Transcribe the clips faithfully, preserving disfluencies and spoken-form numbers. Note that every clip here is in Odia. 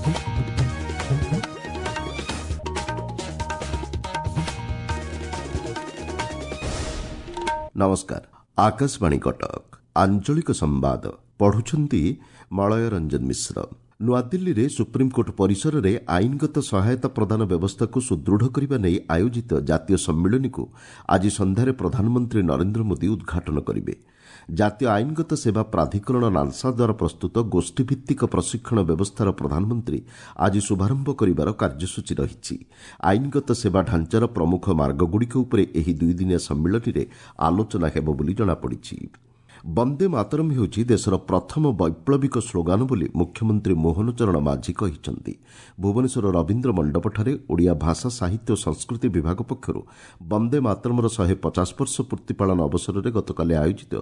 ନମସ୍କାର, ଆକାଶବାଣୀ କଟକ, ଆଞ୍ଚଳିକ ସମ୍ବାଦ ପଢୁଛନ୍ତି ମଳୟ ରଞ୍ଜନ ମିଶ୍ର। ନୂଆଦିଲ୍ଲୀରେ ସୁପ୍ରିମକୋର୍ଟ ପରିସରରେ ଆଇନଗତ ସହାୟତା ପ୍ରଦାନ ବ୍ୟବସ୍ଥାକୁ ସୁଦୃଢ଼ କରିବା ନେଇ ଆୟୋଜିତ ଜାତୀୟ ସମ୍ମିଳନୀକୁ ଆଜି ସନ୍ଧ୍ୟାରେ ପ୍ରଧାନମନ୍ତ୍ରୀ ନରେନ୍ଦ୍ର ମୋଦି ଉଦ୍ଘାଟନ କରିବେ। ଜାତୀୟ ଆଇନଗତ ସେବା ପ୍ରାଧିକରଣ ନାଲସା ଦ୍ୱାରା ପ୍ରସ୍ତୁତ ଗୋଷ୍ଠୀଭିତ୍ତିକ ପ୍ରଶିକ୍ଷଣ ବ୍ୟବସ୍ଥାର ପ୍ରଧାନମନ୍ତ୍ରୀ ଆଜି ଶୁଭାରମ୍ଭ କରିବାର କାର୍ଯ୍ୟସୂଚୀ ରହିଛି। ଆଇନଗତ ସେବା ଢାଞ୍ଚାର ପ୍ରମୁଖ ମାର୍ଗଗୁଡ଼ିକ ଉପରେ ଏହି ଦୁଇଦିନିଆ ସମ୍ମିଳନୀରେ ଆଲୋଚନା ହେବ ବୋଲି ଜଣାପଡ଼ିଛି। ବନ୍ଦେ ମାତରମ୍ ହେଉଛି ଦେଶର ପ୍ରଥମ ବୈପ୍ଳବିକ ସ୍ଲୋଗାନ ବୋଲି ମୁଖ୍ୟମନ୍ତ୍ରୀ ମୋହନ ଚରଣ ମାଝୀ କହିଛନ୍ତି। ଭୁବନେଶ୍ୱର ରବୀନ୍ଦ୍ର ମଣ୍ଡପଠାରେ ଓଡ଼ିଆ ଭାଷା, ସାହିତ୍ୟ ଓ ସଂସ୍କୃତି ବିଭାଗ ପକ୍ଷରୁ ବନ୍ଦେ ମାତରମ୍ର ଶହେ ପଚାଶ ବର୍ଷ ପୂର୍ତ୍ତି ପାଳନ ଅବସରରେ ଗତକାଲି ଆୟୋଜିତ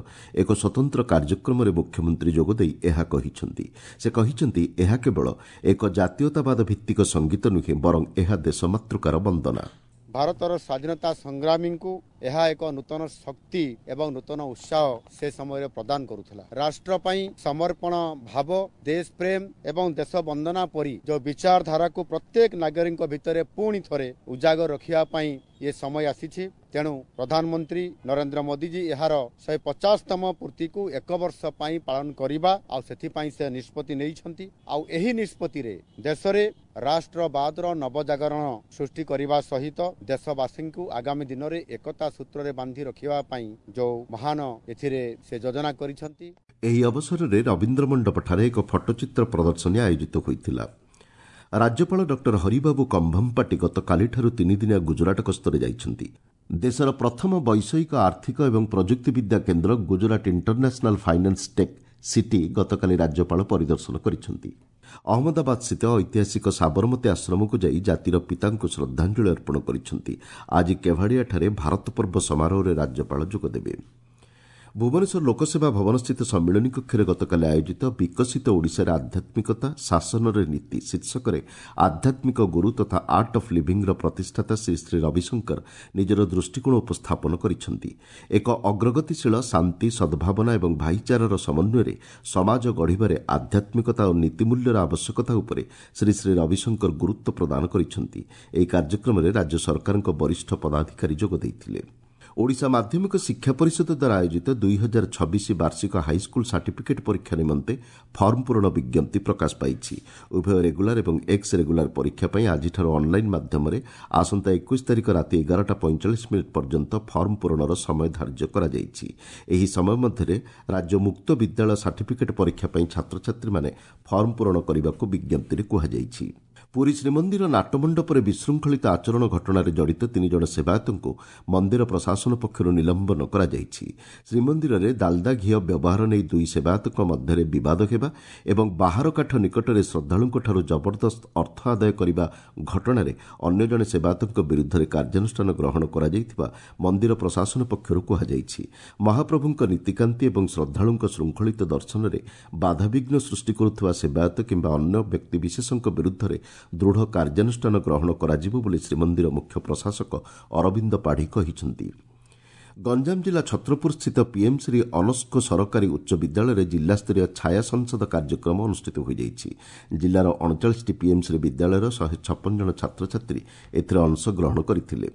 ଏକ ସ୍ୱତନ୍ତ୍ର କାର୍ଯ୍ୟକ୍ରମରେ ମୁଖ୍ୟମନ୍ତ୍ରୀ ଯୋଗଦେଇ ଏହା କହିଛନ୍ତି। ସେ କହିଛନ୍ତି, ଏହା କେବଳ ଏକ ଜାତୀୟତାବାଦ ଭିତ୍ତିକ ସଙ୍ଗୀତ ନୁହେଁ, ବରଂ ଏହା ଦେଶମାତୃକାର ବନ୍ଦନା। ଭାରତର ସ୍ୱାଧୀନତା ସଂଗ୍ରାମୀଙ୍କୁ ଏହା ଏକ ନୂତନ ଶକ୍ତି ଏବଂ ନୂତନ ଉତ୍ସାହ ସେ ସମୟରେ ପ୍ରଦାନ କରୁଥିଲା। ରାଷ୍ଟ୍ର ପାଇଁ ସମର୍ପଣ ଭାବ, ଦେଶ ପ୍ରେମ ଏବଂ ଦେଶ ବନ୍ଦନା ପରି ଯେଉଁ ବିଚାରଧାରାକୁ ପ୍ରତ୍ୟେକ ନାଗରିକଙ୍କ ଭିତରେ ପୁଣି ଥରେ ଉଜାଗର ରଖିବା ପାଇଁ ଏ ସମୟ ଆସିଛି। ତେଣୁ ପ୍ରଧାନମନ୍ତ୍ରୀ ନରେନ୍ଦ୍ର ମୋଦିଜୀ ଏହାର ଶହେ ପଚାଶତମ ପୂର୍ତ୍ତିକୁ ଏକ ବର୍ଷ ପାଇଁ ପାଳନ କରିବା ଆଉ ସେଥିପାଇଁ ସେ ନିଷ୍ପତ୍ତି ନେଇଛନ୍ତି। ଆଉ ଏହି ନିଷ୍ପତ୍ତିରେ ଦେଶରେ ରାଷ୍ଟ୍ରବାଦର ନବଜାଗରଣ ସୃଷ୍ଟି କରିବା ସହିତ ଦେଶବାସୀଙ୍କୁ ଆଗାମୀ ଦିନରେ ଏକତା ସୂତ୍ରରେ ବାନ୍ଧି ରଖିବା ପାଇଁ ଯେଉଁ ମହାନ ଏଥିରେ ସେ ଯୋଜନା କରିଛନ୍ତି। ଏହି ଅବସରରେ ରବୀନ୍ଦ୍ର ମଣ୍ଡପଠାରେ ଏକ ଫଟୋଚିତ୍ର ପ୍ରଦର୍ଶନୀ ଆୟୋଜିତ ହୋଇଥିଲା। ରାଜ୍ୟପାଳ ଡକ୍ଟର ହରିବାବୁ କମ୍ଭମପାଟି ଗତକାଲିଠାରୁ ତିନିଦିନିଆ ଗୁଜରାଟ ଗସ୍ତରେ ଯାଇଛନ୍ତି। ଦେଶର ପ୍ରଥମ ବୈଷୟିକ, ଆର୍ଥିକ ଏବଂ ପ୍ରଯୁକ୍ତିବିଦ୍ୟା କେନ୍ଦ୍ର Gujarat international finance tech city ଗତକାଲି ରାଜ୍ୟପାଳ ପରିଦର୍ଶନ କରିଛନ୍ତି। ଅହମ୍ମଦାବାଦସ୍ଥିତ ଐତିହାସିକ ସାବରମତୀ ଆଶ୍ରମକୁ ଯାଇ ଜାତିର ପିତାଙ୍କୁ ଶ୍ରଦ୍ଧାଞ୍ଜଳି ଅର୍ପଣ କରିଛନ୍ତି। ଆଜି କେଭାଡ଼ିଆଠାରେ ଭାରତ ପର୍ବ ସମାରୋହରେ ରାଜ୍ୟପାଳ ଯୋଗଦେବେ। ଭୁବନେଶ୍ୱର ଲୋକସେବା ଭବନସ୍ଥିତ ସମ୍ମିଳନୀ କକ୍ଷରେ ଗତକାଲି ଆୟୋଜିତ ବିକଶିତ ଓଡ଼ିଶାରେ ଆଧ୍ୟାତ୍ମିକତା ଶାସନରେ ନୀତି ଶୀର୍ଷକରେ ଆଧ୍ୟାତ୍ମିକ ଗୁରୁ ତଥା ଆର୍ଟ ଅଫ୍ ଲିଭିଂର ପ୍ରତିଷ୍ଠାତା ଶ୍ରୀ ଶ୍ରୀ ରବିଶଙ୍କର ନିଜର ଦୃଷ୍ଟିକୋଣ ଉପସ୍ଥାପନ କରିଛନ୍ତି। ଏକ ଅଗ୍ରଗତିଶୀଳ, ଶାନ୍ତି, ସଦ୍ଭାବନା ଏବଂ ଭାଇଚାରାର ସମନ୍ୱୟରେ ସମାଜ ଗଢ଼ିବାରେ ଆଧ୍ୟାତ୍ମିକତା ଓ ନୀତିମୂଲ୍ୟର ଆବଶ୍ୟକତା ଉପରେ ଶ୍ରୀ ଶ୍ରୀ ରବିଶଙ୍କର ଗୁରୁତ୍ୱ ପ୍ରଦାନ କରିଛନ୍ତି। ଏହି କାର୍ଯ୍ୟକ୍ରମରେ ରାଜ୍ୟ ସରକାରଙ୍କ ବରିଷ୍ଠ ପଦାଧିକାରୀ ଯୋଗ ଦେଇଥିଲେ। ଓଡ଼ିଶା ମାଧ୍ୟମିକ ଶିକ୍ଷା ପରିଷଦ ଦ୍ୱାରା ଆୟୋଜିତ ଦୁଇ ହଜାର ଛବିଶ ବାର୍ଷିକ ହାଇସ୍କୁଲ ସାର୍ଟିଫିକେଟ୍ ପରୀକ୍ଷା ନିମନ୍ତେ ଫର୍ମ ପୂରଣ ବିଜ୍ଞପ୍ତି ପ୍ରକାଶ ପାଇଛି। ଉଭୟ ରେଗୁଲାର ଏବଂ ଏକ୍ସ ରେଗୁଲାର ପରୀକ୍ଷା ପାଇଁ ଆଜିଠାରୁ ଅନ୍ଲାଇନ୍ ମାଧ୍ୟମରେ ଆସନ୍ତା ଏକୋଇଶ ତାରିଖ ରାତି ଏଗାରଟା ପଇଁଚାଳିଶ ମିନିଟ୍ ପର୍ଯ୍ୟନ୍ତ ଫର୍ମ ପୂରଣର ସମୟ ଧାର୍ଯ୍ୟ କରାଯାଇଛି। ଏହି ସମୟ ମଧ୍ୟରେ ରାଜ୍ୟ ମୁକ୍ତ ବିଦ୍ୟାଳୟ ସାର୍ଟିଫିକେଟ୍ ପରୀକ୍ଷା ପାଇଁ ଛାତ୍ରଛାତ୍ରୀମାନେ ଫର୍ମ ପୂରଣ କରିବାକୁ ବିଜ୍ଞପ୍ତିରେ କୁହାଯାଇଛି। ପୁରୀ ଶ୍ରୀମନ୍ଦିର ନାଟମଣ୍ଡପରେ ବିଶୃଙ୍ଖଳିତ ଆଚରଣ ଘଟଣାରେ ଜଡ଼ିତ ତିନି ଜଣ ସେବାୟତଙ୍କୁ ମନ୍ଦିର ପ୍ରଶାସନ ପକ୍ଷରୁ ନିଲମ୍ବନ କରାଯାଇଛି। ଶ୍ରୀମନ୍ଦିରରେ ଦାଲଦା ଘିଅ ବ୍ୟବହାର ନେଇ ଦୁଇ ସେବାୟତଙ୍କ ମଧ୍ୟରେ ବିବାଦ ହେବା ଏବଂ ବାହାର କାଠ ନିକଟରେ ଶ୍ରଦ୍ଧାଳୁଙ୍କଠାରୁ ଜବରଦସ୍ତ ଅର୍ଥ ଆଦାୟ କରିବା ଘଟଣାରେ ଅନ୍ୟ ଜଣେ ସେବାୟତଙ୍କ ବିରୁଦ୍ଧରେ କାର୍ଯ୍ୟାନୁଷ୍ଠାନ ଗ୍ରହଣ କରାଯାଇଥିବା ମନ୍ଦିର ପ୍ରଶାସନ ପକ୍ଷରୁ କୁହାଯାଇଛି। ମହାପ୍ରଭୁଙ୍କ ନୀତିକାନ୍ତି ଏବଂ ଶ୍ରଦ୍ଧାଳୁଙ୍କ ଶୃଙ୍ଖଳିତ ଦର୍ଶନରେ ବାଧାବିଘ୍ନ ସୃଷ୍ଟି କରୁଥିବା ସେବାୟତ କିମ୍ବା ଅନ୍ୟ ବ୍ୟକ୍ତିବିଶେଷଙ୍କ ବିରୁଦ୍ଧରେ ଦୃଢ଼ କାର୍ଯ୍ୟାନୁଷ୍ଠାନ ଗ୍ରହଣ କରାଯିବ ବୋଲି ଶ୍ରୀମନ୍ଦିର ମୁଖ୍ୟ ପ୍ରଶାସକ ଅରବିନ୍ଦ ପାଢ଼ୀ କହିଛନ୍ତି। ଗଞ୍ଜାମ ଜିଲ୍ଲା ଛତ୍ରପୁରସ୍ଥିତ ପିଏମ୍ ଶ୍ରୀ ଅନସ୍କୋ ସରକାରୀ ଉଚ୍ଚ ବିଦ୍ୟାଳୟରେ ଜିଲ୍ଲାସ୍ତରୀୟ ଛାୟା ସଂସଦ କାର୍ଯ୍ୟକ୍ରମ ଅନୁଷ୍ଠିତ ହୋଇଯାଇଛି। ଜିଲ୍ଲାର ଅଣଚାଳିଶଟି ପିଏମ୍ ଶ୍ରୀ ବିଦ୍ୟାଳୟର ଶହେ ଛପନ ଜଣ ଛାତ୍ରଛାତ୍ରୀ ଏଥିରେ ଅଂଶଗ୍ରହଣ କରିଥିଲେ।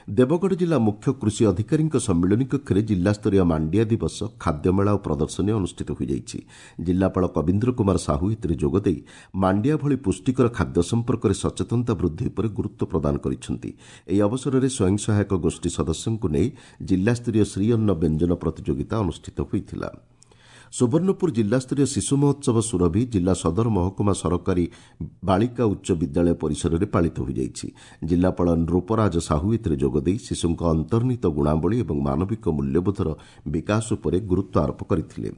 ଦେବଗଡ଼ ଜିଲ୍ଲା ମୁଖ୍ୟ କୃଷି ଅଧିକାରୀଙ୍କ ସମ୍ମିଳନୀ କକ୍ଷରେ ଜିଲ୍ଲାସ୍ତରୀୟ ମାଣ୍ଡିଆ ଦିବସ, ଖାଦ୍ୟମେଳା ଓ ପ୍ରଦର୍ଶନୀ ଅନୁଷ୍ଠିତ ହୋଇଯାଇଛି। ଜିଲ୍ଲାପାଳ କବୀନ୍ଦ୍ର କୁମାର ସାହୁ ଏଥିରେ ଯୋଗଦେଇ ମାଣ୍ଡିଆ ଭଳି ପୁଷ୍ଟିକର ଖାଦ୍ୟ ସମ୍ପର୍କରେ ସଚେତନତା ବୃଦ୍ଧି ଉପରେ ଗୁରୁତ୍ୱ ପ୍ରଦାନ କରିଛନ୍ତି। ଏହି ଅବସରରେ ସ୍ୱୟଂ ସହାୟକ ଗୋଷ୍ଠୀ ସଦସ୍ୟଙ୍କୁ ନେଇ ଜିଲ୍ଲାସ୍ତରୀୟ ଶ୍ରୀଅନ୍ନ ବ୍ୟଞ୍ଜନ ପ୍ରତିଯୋଗିତା ଅନୁଷ୍ଠିତ ହୋଇଥିଲା। ସୁବର୍ଣ୍ଣପୁର ଜିଲ୍ଲାସ୍ତରୀୟ ଶିଶୁ ମହୋତ୍ସବ ସୁରଭି ଜିଲ୍ଲା ସଦର ମହକୁମା ସରକାରୀ ବାଳିକା ଉଚ୍ଚ ବିଦ୍ୟାଳୟ ପରିସରରେ ପାଳିତ ହୋଇଯାଇଛି। ଜିଲ୍ଲାପାଳ ନୃପରାଜ ସାହୁ ଏଥିରେ ଯୋଗଦେଇ ଶିଶୁଙ୍କ ଅନ୍ତର୍ନିହିତ ଗୁଣାବଳୀ ଏବଂ ମାନବିକ ମୂଲ୍ୟବୋଧର ବିକାଶ ଉପରେ ଗୁରୁତ୍ୱ ଆରୋପ କରିଥିଲେ।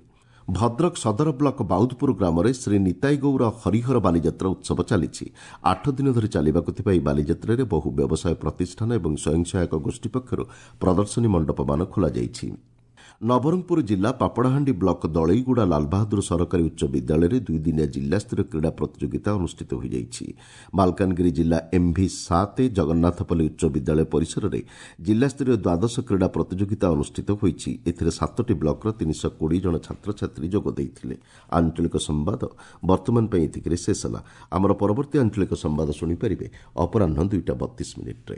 ଭଦ୍ରକ ସଦର ବ୍ଲକ ବାଉଦପୁର ଗ୍ରାମରେ ଶ୍ରୀ ନିତାଇ ଗୌର ହରିହର ବାଲିଯାତ୍ରା ଉତ୍ସବ ଚାଲିଛି। ଆଠ ଦିନ ଧରି ଚାଲିବାକୁ ଥିବା ଏହି ବାଲିଯାତ୍ରାରେ ବହୁ ବ୍ୟବସାୟ ପ୍ରତିଷ୍ଠାନ ଏବଂ ସ୍ୱୟଂ ସହାୟକ ଗୋଷ୍ଠୀ ପକ୍ଷରୁ ପ୍ରଦର୍ଶନୀ ମଣ୍ଡପମାନ ଖୋଲାଯାଇଛି। ନବରଙ୍ଗପୁର ଜିଲ୍ଲା ପାପଡ଼ାହାଣ୍ଡି ବ୍ଲକ ଦଳେଇଗୁଡ଼ା ଲାଲବାହାଦୁର ସରକାରୀ ଉଚ୍ଚ ବିଦ୍ୟାଳୟରେ ଦୁଇଦିନିଆ ଜିଲ୍ଲାସ୍ତରୀୟ କ୍ରୀଡ଼ା ପ୍ରତିଯୋଗିତା ଅନୁଷ୍ଠିତ ହୋଇଯାଇଛି। ମାଲକାନଗିରି ଜିଲ୍ଲା ଏମ୍ଭି ସାତ ଜଗନ୍ନାଥପଲ୍ଲୀ ଉଚ୍ଚ ବିଦ୍ୟାଳୟ ପରିସରରେ ଜିଲ୍ଲାସ୍ତରୀୟ ଦ୍ୱାଦଶ କ୍ରୀଡ଼ା ପ୍ରତିଯୋଗିତା ଅନୁଷ୍ଠିତ ହୋଇଛି। ଏଥିରେ ସାତଟି ବ୍ଲକର ତିନିଶହ କୋଡ଼ିଏ ଜଣ ଛାତ୍ରଛାତ୍ରୀ ଯୋଗ ଦେଇଥିଲେ। ଆଞ୍ଚଳିକ ସମ୍ବାଦ ବର୍ତ୍ତମାନ ପାଇଁ ଏତିକିରେ ଶେଷ ହେଲା। ଆମର ପରବର୍ତ୍ତୀ ଆଞ୍ଚଳିକ ସମ୍ବାଦ ଶୁଣିପାରିବେ ଅପରାହ୍ନ ଦୁଇଟା ବତିଶ ମିନିଟ୍ରେ।